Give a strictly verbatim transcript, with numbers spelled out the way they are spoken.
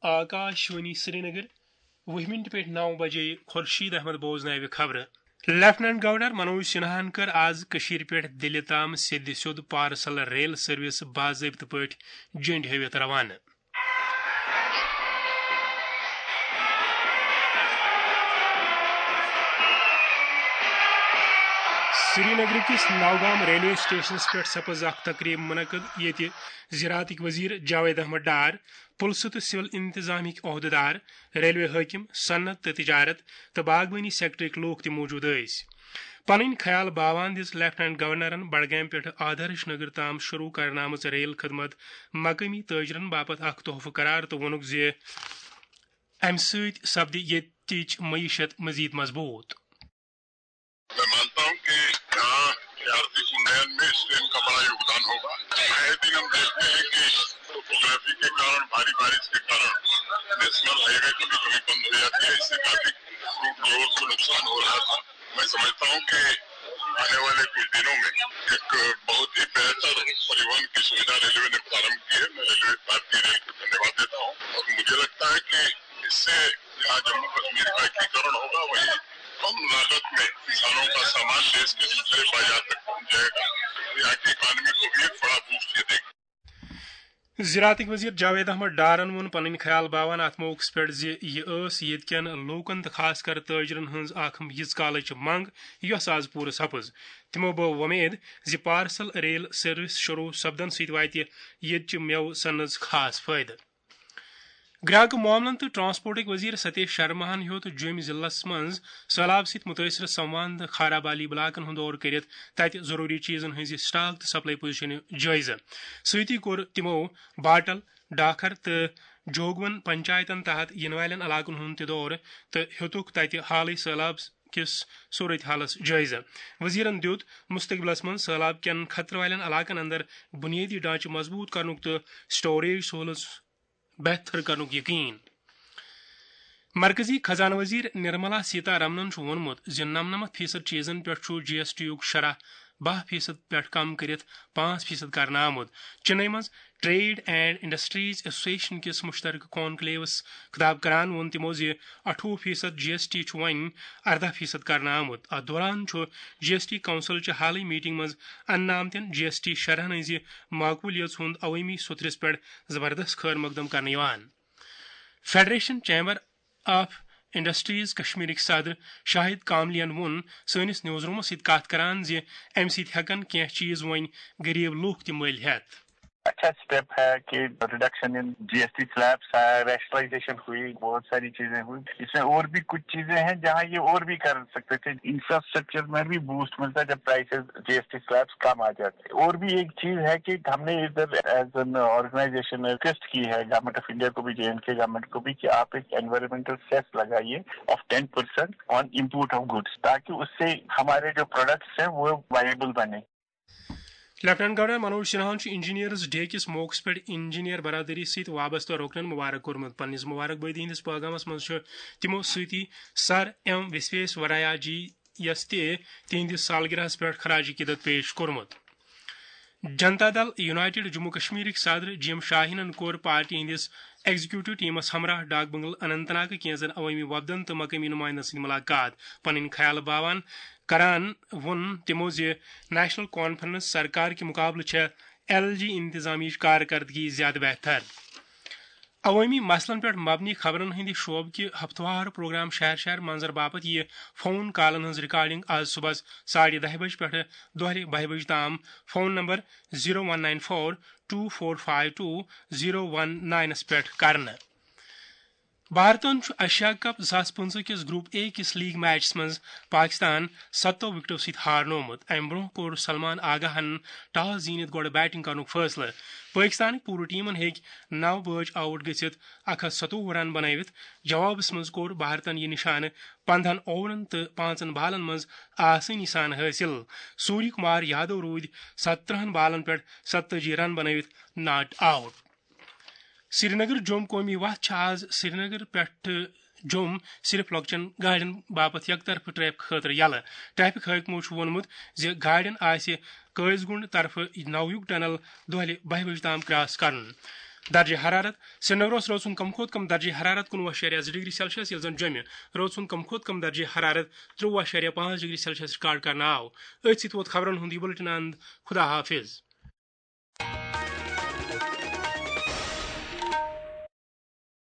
آکاش وانی سرینگر، وُہ مِنٹہِ پٮ۪ٹھ نَو بجے خورشید احمد بوزناوِ خبرٕ۔ لیفٹیننٹ گورنر منوج سنہاہن کٔر آز کٔشیٖرِ پٮ۪ٹھ دِلہِ تام سیٚدِ سیوٚد پارسل ریل سروس باضٲبطہٕ پٲٹھۍ جٔنڈۍ ہٲوِتھ روانہٕ۔ سرینگرٕ کِس نوگام ریلوے سٹیشنس پٮ۪ٹھ سپٕز اکھ تقریب منعقد، ییٚتہِ زراعتٕکۍ وزیر جاوید احمد ڈار، پُلسہٕ تہٕ سول انتظامٕکۍ عہدٕدار، ریلوے حٲکِم، صنعت تہٕ تجارت تہٕ باغبٲنی سیکٹرٕکۍ لوٗکھ تہِ موٗجوٗد ٲسۍ۔ پنٕنۍ خیال باوان دِژ لیفٹیننٹ گورنرن بڈگامہِ پٮ۪ٹھٕ آدرش نگر تام شروع کرنہٕ آمٕژ ریل خدمت مقٲمی تٲجرن باپتھ اکھ تحفہٕ قرار تہٕ ووٚنُکھ زِ امہِ سۭتۍ سپدِ ییٚتِچ معیشت مزید مضبوٗط۔ میں مانتا ہوں کہ یہاں آرتھک انڈین میں اس ٹرین کا بڑا یوگدان ہوگا۔ آئے دن ہم دیکھتے ہیں کہ ٹوپوگرافی کے کارن، بھاری بارش کے کارن نیشنل ہائی وے کبھی کبھی بند ہو جاتی ہے، اس سے ٹریفک روڈ کو نقصان ہو رہا تھا۔ میں سمجھتا ہوں کہ آنے والے کچھ دنوں میں ایک بہت ہی بہتر پریوہن کی سویدھا ریلوے نے پرارمبھ کی ہے۔ میں ریلوے، بھارتیہ ریل کو دھنیہ واد دیتا ہوں اور مجھے لگتا ہے کہ اس سے یہاں جموں کشمیر کا ایکیکرن ہوگا، وہی کم لاگت میں کسانوں کا سامان دیش کے دوسرے بازار تک پہنچ جائے گا۔ یہاں کی اکانومی کو بھی ایک بڑا بوسٹ یہ دے گا۔ زراعتٕکۍ وزیر جاوید احمد ڈارن ووٚن پنٕنۍ خیال باوان اتھ موقعس پٮ۪ٹھ زِ یہِ ٲس ییٚتہِ کٮ۪ن لوٗکن تہٕ خاص کر تٲجرن ہٕنٛز اکھ یِژھ کالٕچ منٛگ، یۄس آز پوٗرٕ سپٕز۔ تِمو بٲو وۄمید زِ پارسل ریل سروس شروع سپدن سۭتۍ واتہِ ییٚتہِ چہِ مٮ۪وٕ صنعتس خاص فٲیدٕ۔ گراکہٕ معاملن تہٕ ٹرانسپورٹٕکۍ وزیر ستیش شرماہن ہیوٚت جوٚمۍ ضلعس منٛز سٔہلاب سۭتۍ مُتٲثرٕ سموان تہٕ خارابالی بلاکن ہُنٛد دورٕ کٔرِتھ تَتہِ ضروٗری چیٖزن ہٕنٛزِ سٹاک تہٕ سپلائی پوزیشنہِ جٲیزٕ۔ سۭتی کوٚر تِمو باٹل، ڈاکھر تہٕ جوگون پنچایتن تحت یِنہٕ والٮ۪ن علاقن ہُنٛد تہِ دورٕ تہٕ ہیوٚتُکھ تَتہِ حالٕے سٔہلاب کِس صورت حالس جٲیزٕ۔ وزیرن دیُت مستقبلس منٛز سٔہلاب کٮ۪ن خطرٕ والٮ۪ن علاقن اندر بنیٲدی ڈھانچہٕ مضبوٗط کرنُک تہٕ سٹوریج سہولژ بہتر کرنُک یقین۔ مرکزی خزانہٕ وزیر نرملا سیتا رمنن چھُ ووٚنمُت زِ نَمنَمَتھ فیصد چیزن پٮ۪ٹھ چھُ جی ایس ٹی یُک شرح باہ فیصد پٮ۪ٹھ کم کٔرِتھ پانٛژھ فیصد کرنہٕ آمُت۔ چنئی منٛز ٹریڈ اینڈ انڈسٹریز ایسوسیشن کِس مشترکہٕ کانکلیوس خطاب کران ووٚن تِمو زِ اَٹھووُہ فیصد جی ایس ٹی چھُ وۄنۍ ارداہ فیصد کرنہٕ آمُت۔ اتھ دوران چھُ جی ایس ٹی کونسل چہِ حالٕے میٹنگ منٛز اننہٕ آمتٮ۪ن جی ایس ٹی شرحن ہٕنٛزِ مقبولیت ہُنٛد عوٲمی سوٚتھرِس پٮ۪ٹھ زبردست خٲر مقدم کرنہٕ یِوان۔ فیڈریشن چیمبر آف انڈسٹریز کشمیرٕکۍ صدر شاہد کاملین ووٚن سٲنِس نیوز رومس سۭتۍ کتھ کران زِ امہِ سۭتۍ ہٮ۪کن کینٛہہ چیز وۄنۍ غریب لوٗکھ تہِ مٔلۍ ہٮ۪تھ۔ اچھا اسٹیپ ہے کہ reduction in G S T slabs ہے، ریشنلائزیشن ہوئی، بہت ساری چیزیں ہوئی۔ اس میں اور بھی کچھ چیزیں ہیں جہاں یہ اور بھی کر سکتے تھے۔ انفراسٹرکچر میں بھی بوسٹ ملتا ہے جب پرائسز، جی ایس ٹی سلیبس کم آ جاتے ہیں۔ اور بھی ایک چیز ہے کہ ہم نے ادھر ایز این آرگنائزیشن ریکویسٹ کی ہے گورنمنٹ آف انڈیا کو بھی، جے اینڈ کے گورنمنٹ کو بھی، کہ آپ ایک انوائرمنٹل سیس لگائیے of ten percent on import of goods, تاکہ اس سے ہمارے جو پروڈکٹس ہیں وہ وائبل بنے۔ لیفٹیننٹ گورنر منوج سنہاہن چھُ انجینئرز ڈے کِس موقعس پٮ۪ٹھ انجینئر برادری سۭتۍ وابستہٕ رُکنن مبارک کوٚرمُت۔ پننِس مبارک بٲدی ہٕنٛدِس پیغامس منٛز چھُ تِمو سۭتی سر ایم وسویس وریا جی یس تہِ تِہنٛدِس سالگرہس پٮ۪ٹھ خراج عقیدت پیش کوٚرمُت۔ جنتا دل یونائیٹڈ جموں کشمیرٕکۍ صدر جی ایم شاہینن کوٚر پارٹی ہٕنٛدِس ایگزیکیوٹو ٹیمس ہمراہ ڈاک بنگلہٕ اننت ناگہٕ کینٛژن عوٲمی وفدن تہٕ مقٲمی نُمایندن سۭتۍ ملاقات۔ پنٕنۍ خیال باوان کران ووٚن تِمو زِ نیشنل کانفرنس سرکار کہِ مقابلہٕ چھےٚ ایل جی انتظامیہٕچ کارکردگی زیادٕ بہتر۔ عوٲمی مسلن پٮ۪ٹھ مبنی خبرن ہٕنٛدِ شعبہٕ کہِ ہفتہٕ وار پروگرام شہر شہر منظر باپتھ یِیہِ فون کالن ہٕنٛز ریکارڈنگ آز صبحس ساڑِ دَہہِ بجہِ پٮ۪ٹھٕ دۄہلہِ بَہہِ بجہِ تام phone number zero one nine four two four five two zero one ناینس پٮ۪ٹھ کرنہٕ۔ بھارتن چھُ ایشیا کپ زٕ ساس پٕنٛژٕہ کِس گروپ اے کِس لیگ میچس منٛز پاکستان ستو وکٹو سۭتۍ ہارنومُت۔ امہِ برونٛہہ کوٚر سلمان آگاہن ٹاس زیٖنِتھ گۄڈٕ بیٹنگ کرنُک فٲصلہٕ۔ پٲکستانٕکۍ پوٗرٕ ٹیمن ہیٚکۍ نو بٲژ آوٹ گٔژھِتھ اکھ ہتھ ستووُہ رن بنٲوِتھ۔ جوابس منٛز کوٚر بھارتن یہِ نشانہٕ پندہن اوورن تہٕ پانٛژن بالن منٛز آسٲنی سان حٲصِل۔ سوریہ کمار یادو روٗدۍ ستترہن بالن پٮ۪ٹھ ستتٲجی رن بنٲوِتھ ناٹ آوٹ۔ سرینگر جوٚم قومی وتھ چھِ آز سرینگر پٮ۪ٹھٕ جوٚم صرف لۄکچٮ۪ن گاڑٮ۪ن باپتھ یکطرفہٕ ٹریفک خٲطرٕ یلہٕ۔ ٹریفک حٲکمو چھُ ووٚنمُت زِ گاڑٮ۪ن آسہِ قٲضۍ گُنڈ طرفہٕ نویُک ٹنل دۄہلہِ بَہہِ بجہِ تام کراس کرُن۔ درجہ حرارت۔ سرینگرس روٗد سُنٛد کم کھۄتہٕ کم درجہ حرارت کُنوُہ اَشاریہ زٕ ڈگری سیلسیس، ییٚلہِ زن جوٚمہِ روٗد سُنٛد کم کھۄتہٕ کم درجہ حرارت ترٛۆوُہ اَشاریہ پانٛژھ ڈگری سیلسیس ریکارڈ کرنہٕ آو۔ أتھۍ سۭتۍ ووت خبرن ہُنٛد یہِ بُلٹن اند۔ خدا حافظ۔